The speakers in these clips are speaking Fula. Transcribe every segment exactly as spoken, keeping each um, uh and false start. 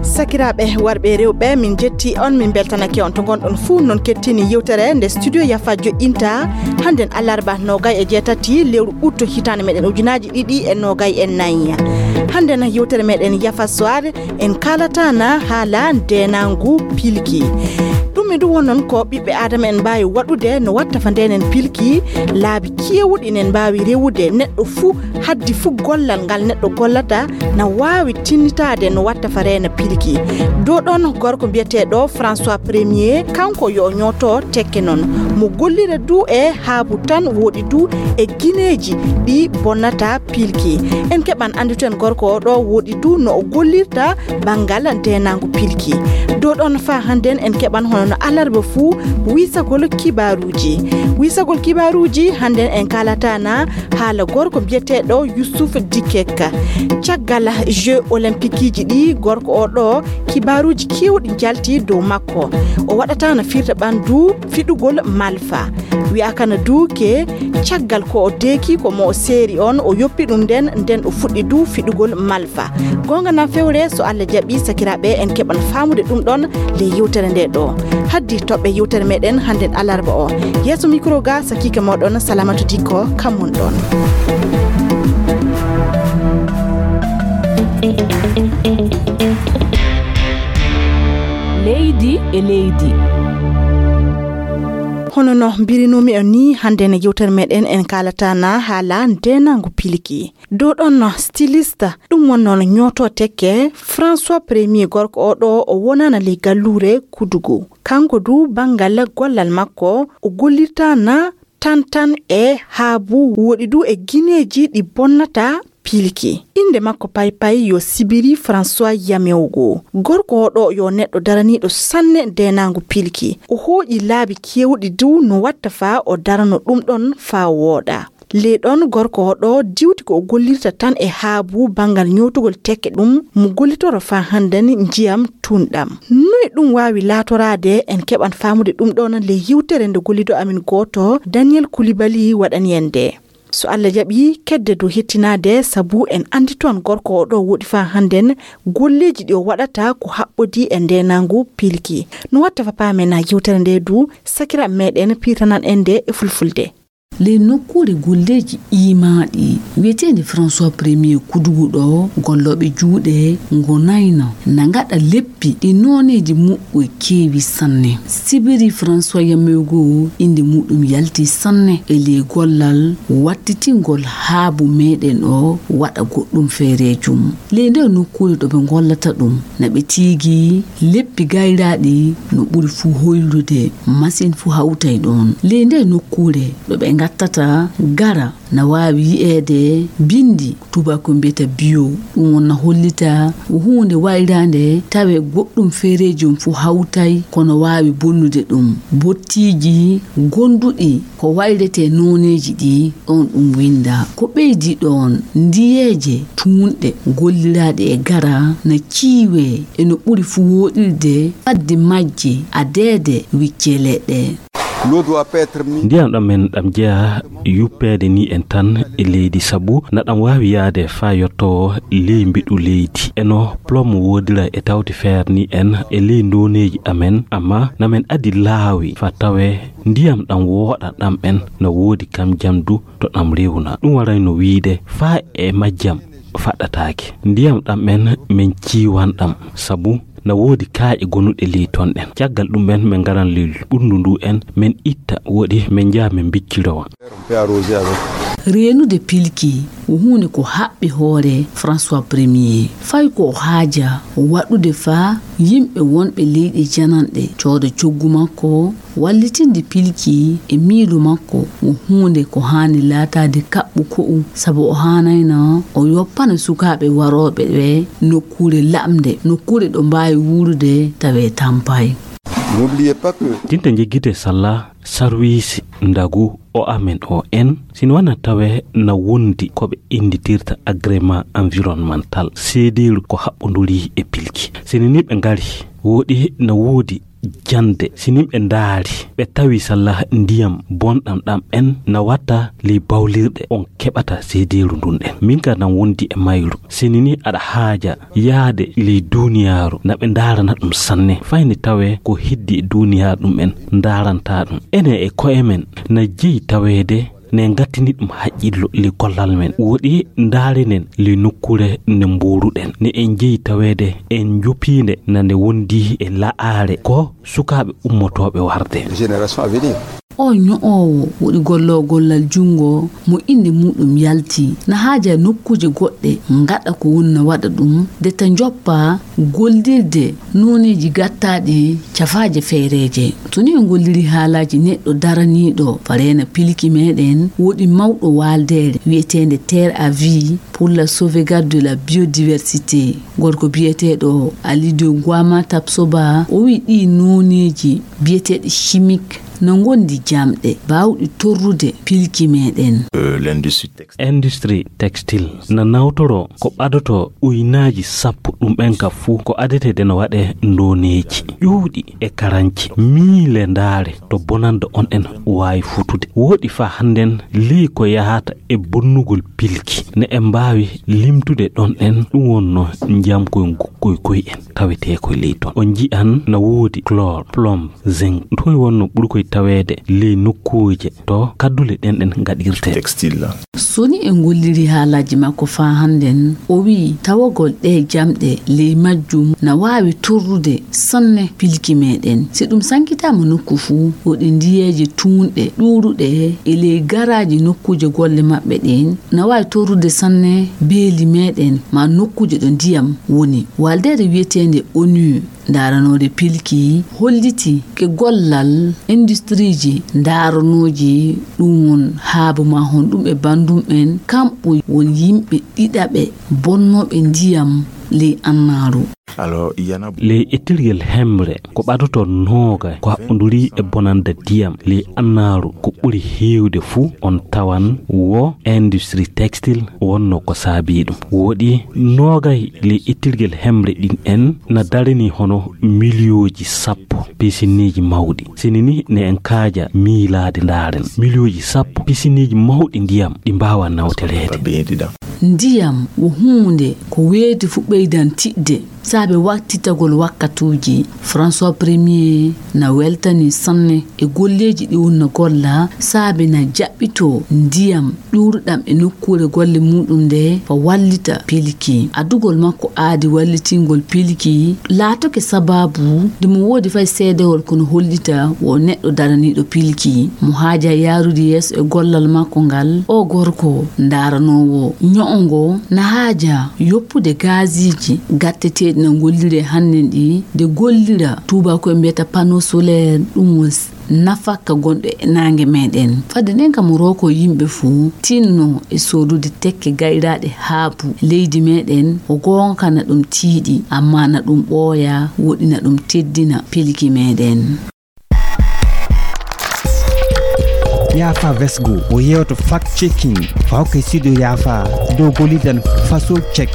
Sakiraaɓe warɓe e rewɓe, min njetti on, min mbeltanake on to ngonɗon fuu. Non kettini yewtere nde Studio Yafa joƴƴinta hannden alarba noogay e jeetati lewru ut hitaande meɗen ujunaaji ɗiɗi e noogay e nayi. Hannden yewtere meɗen Yafa Soir, en kaalataana haala ndeenaangu pilki. Ɗum e ɗum wonnon ko ɓiɓɓe Aadama en mbaawi waɗude, no watta fa ndeenen pilki, laabi keewuɗi nen mbaawi rewude neɗɗo fuu, haddi fuu gollal ngal neɗɗo gollata na waawi tinnitaade no watta fa reena pilki. Dow ɗon gorko mbiyeteeɗo François Premier, kanko yo ñooto tekke non. Mo gollira du e haabu tan woɗi du e gineeji ɗi bonnata pilki. En keɓan anndito en gorko o ɗo woɗi du no o gollirta banngal ndeenaangu pilki. Dow ɗon fa hannden en keɓan hono no alarba fuu wiisagol kibaaruuji. Wiisagol kibaaruuji hannden en kaalataana haala gorko mbiyeteeɗo Youssouf Dikek. Caggal Jeux Olympiqueiji ɗi gorko o ɗo kibaaruuji keewɗi njalti dow makko. O waɗataana firta ɓanndu fiɗugol malfa. Wi'aaka na duuke caggal ko o deeki ko mo o seeri on, o yoppi ɗum nden, nden o fuɗɗi du fiɗugol malfa. Goonga na fewre, so Allah jaɓi, sakiraaɓe, en keɓan faamude ɗum ɗon ley yewtere nde ɗo. Haddi toɓɓe yewtere meɗen hannden alarba o. Yeeso mikro ga sakiike moɗon Salamatu Dikko, kam mon ɗon. Leydi e leydi. Hono no mbirinoomi on ni, hannden yewtere meɗen en kaalataana haala ndeenaangu pilki. Dow ɗon no styliste, ɗum wonno no ñooto tekke. François Premier gorko o ɗo o wonaana ley galluure Kudugu. Kanko du banngal gollal makko o gollirta na tan tan e haabu woɗi du e gineeji ɗi bonnata pilki. Innde makko paypay yo Sibiri François Yamewgo. Gorko o ɗo yo neɗɗo daraniiɗo sanne ndeenaangu pilki. O hooƴi laabi keewɗi du no watta faa o darano ɗum ɗon faa wooɗa. Ley ɗon gorko o ɗo diwti ko o gollirta tan e haabu banngal ñootugol tekke ɗum mo gollitoro faa hannden njiyam tunɗam. Noy ɗum waawi laatoraade? En keɓan faamude ɗum ɗon ley yewtere nde gollido amin gooto Daniel Koulibaly waɗani en nde. So Allah jaɓi, kedde du hettinaade sabu en anndi toon gorko o ɗo woɗi faa hannden golleeji ɗi o waɗata ko haɓɓodii e ndeenaangu pilki. No watta fa paamen yewtere nde du, sakiraaɓe meɗen piirtanan en nde e fulfulde. Ley nokkuure golleeji iimaaɗi wi'eteende François Premier Kudugu ɗo, gollooɓe juuɗe ngonayno na ngaɗa leppi ɗi nooneeji muɓɓoy keewi sanne. Sibiri François Yamewgo innde muɗum yalti sanne e ley gollal wattitingol haabu meɗen o waɗa goɗɗum feereejum. Ley nde nokkuure ɗo ɓe ngollata ɗum, na ɓe tiigi leppi gayraaɗi no ɓuri fuu hoyrude, masin fuu hawtay ɗoon. Ley nde nokkuure ɗo ɓe ngattata gara, na waawi yi'eede binndi tubaako mbiyata bio. Ɗum won na hollita ko huunde wayraande, tawe goɗɗum feereejum fuu hawtay, kono waawi bonnude ɗum. Bottiiji gonduɗi ko wayretee nooneeji ɗi, ɗoon ɗum winndaa. Ko ɓeydi ɗoon, ndiyeeje tuunɗe golliraaɗe e gara na ciiwee e no ɓuri fuu wooɗirde, faddi majje adeede wicce leɗɗe. L'eau doit pas être mise. Ndiyam ɗam men ɗam jeyaa yuppeede ni en tan e leydi, sabu na ɗam waawi yaade faa yottoo ley mbeɗu leydi. E no plomb woodira e tawti feer ni en e ley ndooneeji amen, amma na men adi laawi faa tawee ndiyam ɗam wooɗa ɗam en na woodi kam jandu to ɗam rewna. Ɗum warayno wiide faa e majjam faɗɗataake. Ndiyam ɗam en men ciiwan ɗam, sabu na woodi kaaƴe gonuɗe ley ton ɗen. Caggal ɗum en men ngaran ley ɓurndu ndu en, men itta woɗi men njaha men mbiccirowa. Reenude pilki ko huunde ko haɓɓi hoore François Premier. Fay ko o haaja waɗude faa yimɓe wonɓe leyɗe jananɗe cooda coggu makko, wallitinde pilki e miilu makko ko huunde ko haani laataade kaɓɓu ko'u, sabu o haanayno o yoppana sukaaɓe warooɓe ɓe nokkuure laɓnde, nokkuure ɗo mbaawi wuurude tawee tampaay. N'oubliez pas que Tinte njiggite salla sarwiisi ndagu o amen o en, si no wana tawe na wondi ko ɓe innditirta agrément environnemental, seedeeru ko haɓɓonduri e pilki. Si ni ɓe ngari Woɗi na woodi jannde, si nin ɓe ndaari, ɓe tawi salla ndiyam bonɗam ɗam en na watta ley bawlirɗe on keɓata seedeeru ndun ɗen. Min ka nan wondi e mayru, si ni ni aɗa haaja yaade ley duuniyaaru, na ɓe ndaarana ɗum sanne. Fayni tawee ko heddi e duuniyaaru ɗum en ndaaranta ɗum. Enen e ko'e men na jeyi taweede ne ngattini ɗum haqqillo le gollal men. Woɗi ndaarinen le nokkuure nde mbooruɗen. Ne en jeyi taweede en njopiinde na nde wondi e la'aare ko sukaaɓe ummotooɓe warde. Génération à venir. O ño'oowo woɗi golloo gollal junngo mo innde muuɗum yalti, na haaja nokkuuje goɗɗe ngaɗa ko woni na waɗa ɗum, de ta njoppa gollirde nooneeji gattaaɗi cafaaje feereeje. So ni en ngolliri haalaaji neɗɗo daraniiɗo fareena pilki meɗen, woɗi mawɗo waaldeere wi'eteende Terre à Vie pour la sauvegarde de la biodiversité, gorko biyeteeɗo Alido Gwama Tapsoba, o wi'i ɗii nooneeji biyeteeɗi chimique na ngondi jamɗe baawɗi torrude pilki meɗen. Industrie textile na nawtoro ko ɓadoto uynaaji sappo ɗum en ka fuu ko adetee de no waɗe ndooneeji ƴuuɗi e karanci miile ndaare to bonande on en waawi futude. Woɗi faa hannden ley ko yahata e bonnugol pilki ne en mbaawi limtude ɗon en ɗum wonno njiyam koy koy koy en tawetee koy ley ton. On nji'an na woodi chlore, plomb, zinc. Ɗum koy wonno ɓuri koy taweede ley nokkuuje to kaddule ɗen ɗen ngaɗirtee. Textile. So ni en ngolliri haalaaji makko faa hannden, o wi'i tawagol ɗee jamɗe ley majjum na waawi torrude sanne pilki meɗen. Si ɗum sankitaama nokku fuu, woɗi ndiyeeje tuunɗe ɗuuruɗe e ley garaaji nokkuuje golle maɓɓe ɗen, na waawi torrude sanne beeli meɗen maa nokkuuje ɗo ndiyam woni. Waaldeere wi'eteende onu ndaaranoore pilki holliti ke gollal industiriiji ndaaranooji ɗum won haabu maa honɗum e banndum en kamɓe won yimɓe ɗiɗaɓe bonnooɓe ndiyam ley annaaru. Ley ettirgel hemre ko ɓadoto nooga ko haɓɓonduri e bonannda ndiyam ley annaaru ko ɓuri heewde fuu on tawan wo industrie textile wonno ko saabii ɗum. Woɗi noogay ley ittirgel hemre ɗin en na darani hono miliyooji sappo pisinniiji mawɗi. Sini ni ne en kaaja miilaade ndaaren miliyooji sappo pisinniiji mawɗi ndiyam ɗi mbaawa nawtoreede. Ndiyam wo huunde ko weeti fu ɓeydan tiɗde saabe wattitagol wakkatuuji. François Premier na weltani sanne e golleeji ɗi wonno golla saabe na jaɓɓitoo ndiyam ɗuuruɗam e nokkuure golle muuɗum nde fa wallita pilki. Adugol makko aadi wallitingol pilki laatoke sabaabu nde mo woodi fay seedewol kono hollita wo neɗɗo daraniiɗo pilki mo haaja yaarude yeeso e gollal makko ngal. O gorko ndaaranoowo ño'o ngo na haaja yoppude gaasiiji gatteteeɗi no ngolliree hannden ɗi nde gollira tuubaako'en mbiyata panneau solaire ɗum woni nafakka gonɗo e naange meɗen. Fadde nden kam o rooko yimɓe fuu tinno e soodude tekke gayraaɗe haabu leydi meɗen. O goonga na ɗum tiiɗi amma na ɗum ɓooya woɗi na ɗum teddina pelki meɗen. Yaafa Vesgo o yewto fact checking fawke studio Yaafa dow golidan faso check.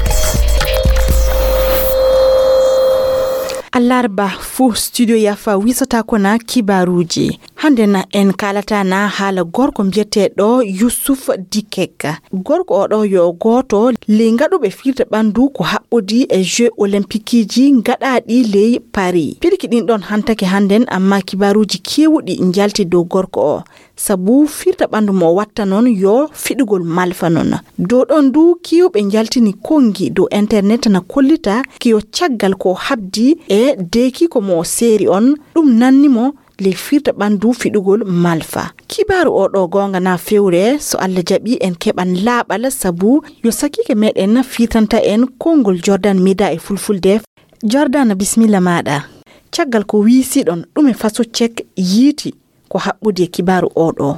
Allarba fuu studio Yaafa wisata ko na kibaaruuji. Hannde na en kaalata na haala gorko mbiyeteeɗo Yusuf Dikek. Gorko oɗo yo gooto ley ngaɗuɓe firde ɓanndu ko haɓɓodi e Jeux Olympiqueji ngaɗaaɗi ley Paris. Pilki ɗin ɗon hantake hannden amma kibaaruuji keewuɗi njalti dow gorko o. Sabu firde ɓanndu mo watta non yo fiɗugol malfa non. Dow ɗon du kiiwɓe njaltini konngi dow internet na kollita kiyo caggal ko habdi e deekiiko mo seeri on ɗum nanni mo ley firde ɓanndu fiɗugol malfa. Kibaaru o ɗo goonga na fewre so Allah jaɓi en keɓan laaɓal sabu yo sakiike meɗen firtanta en konngol Jordan Mida e fulfulde. Jordan bisimilla maɗa. Caggal ko wiisiɗon ɗume faso cek yiiti ko haɓɓude e kibaaru o ɗo.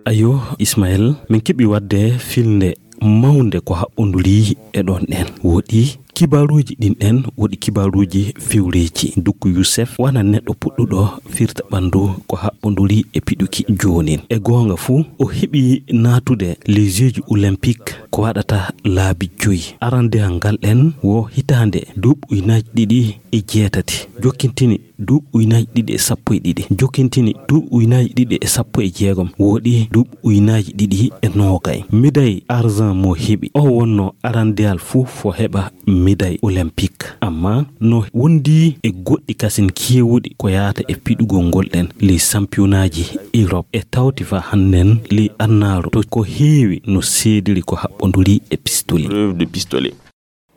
Ayo Ismael, min keɓi wadde filnde mawnde ko haɓɓonduri e ɗon ɗen woɗi. Kibaaruuji ɗin ɗen woɗi kibaaruuji fewreeji. Dukku Youssef wona neɗɗo puɗɗuɗo firta ɓanndu ko haɓɓonduri e piɗuki joonin. E goonga fuu, o heɓi naatude les Jeux olympiques ko waɗata laabi joyi. Arandeyal ngal ɗen wo hitaande duuɓi ujunaaji ɗiɗi e jeetati. Jokkintini duuɓi ujunaaji ɗiɗi e sappo e ɗiɗi, jokkintini duuɓi ujunaaji ɗiɗi e sappo e jeegom, woɗi duuɓi ujunaaji ɗiɗi e noogay. Médaille argent mo heɓi, o wonno arandeyal fuu fo heɓa médaille olympique. Amma no wondi e goɗɗi kasin keewuɗi ko yaata e piɗugol ngol ɗen les championnatji Europe e tawti fa hannden les annaaru to ko heewi no seediri ko haɓɓonduri e pistolet. Preuve de pistolet.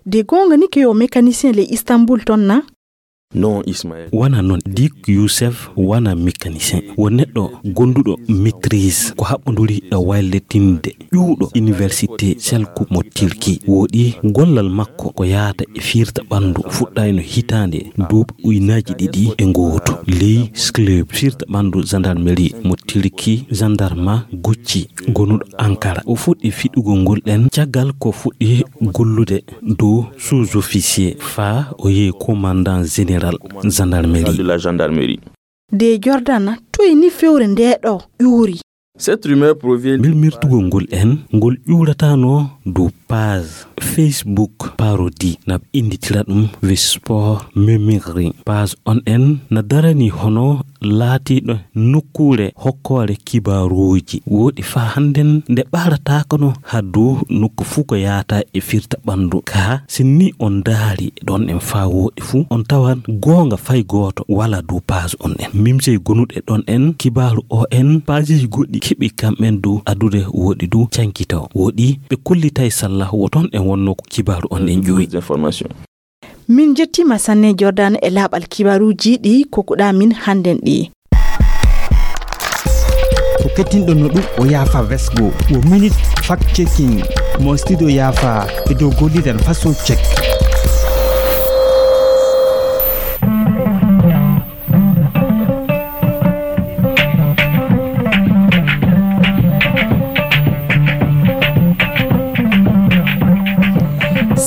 De goonga ni ke yo mécanicien le Istanbul ton na? Non, Ismaël. Wona non, Dik Youssef wona mécanicien. Wo neɗɗo gonduɗo maîtrise ko haɓɓonduri e wallitinde ƴuwɗo université Selçuk mo Turki. Woɗi gollal makko ko yaata e firta ɓanndu fuɗɗayno hitaande duuɓi ujunaaji ɗiɗi e gooto. Ley club firta ɓanndu gendarmerie mo Turki, gendarme Gucci gonuɗo Ankara. O fuɗɗi fiɗugol ngol ɗen caggal ko fuɗɗi gollude dow sous-officier faa o yehi commandant général gendarmerie. De la gendarmerie. De Jordan, toy ni fewre nde ɗo ƴuuri? Cette rumeur provient. Milmirtugol ngol en, ngol ƴuuratano dow page Facebook parodie, na ɓe innditira ɗum Vespor Memory. Page on en na darani hono laatiiɗo nokkuure hokkoore kibaaruuji. Woɗi faa hannden nde ɓaarataako no haa dow nokku fuu ko yaata e firta ɓanndu. Kaa, si ni on ndaari ɗon en faa woɗi fuu, on tawan goonga fay gooto wala dow page on en. Mimsey gonuɗe ɗon en, kibaaru o en, pageji goɗɗi keɓi kamɓen dow adude woɗi dow cankito. Woɗi ɓe kollitay salla wo ton en wonno ko kibaaru on en ƴuwi. Information. Min njettiima sanne Jordan e laaɓal kibaaruuji ɗi kokkuɗaa min hannden ɗi. Ko kettinɗo no ɗum o yaafa vesgo. Wo minute fact checking mo studio yaafa e dow gollidan faso check.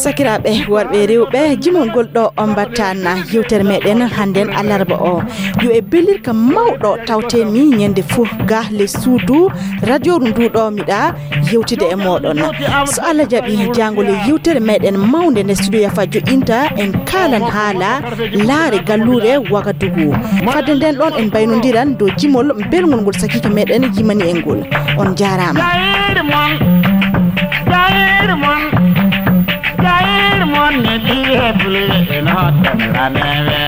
Sakiraaɓe worɓe e rewɓe, jimol ngol ɗo on mbattaan yewtere meɗen hannden alarba o. Yo e bellirka mawɗo tawtee mi ñande fof ga le suudu radio ndu ɗo miɗa yewtide e moɗon. So Allah jaɓi, jaangol e yewtere meɗen mawnde nde studio yafa joƴƴinta, en kaalan haala laare galluure Wagadugu. Fadde nden ɗon en mbaynondiran dow jimol belngol ngol sakiike meɗen yimani en ngol. On jaaraama. Jayir mon, jayir mon, jayir mon ne ɗi hebluɓe ɓe no hottani raneɓe.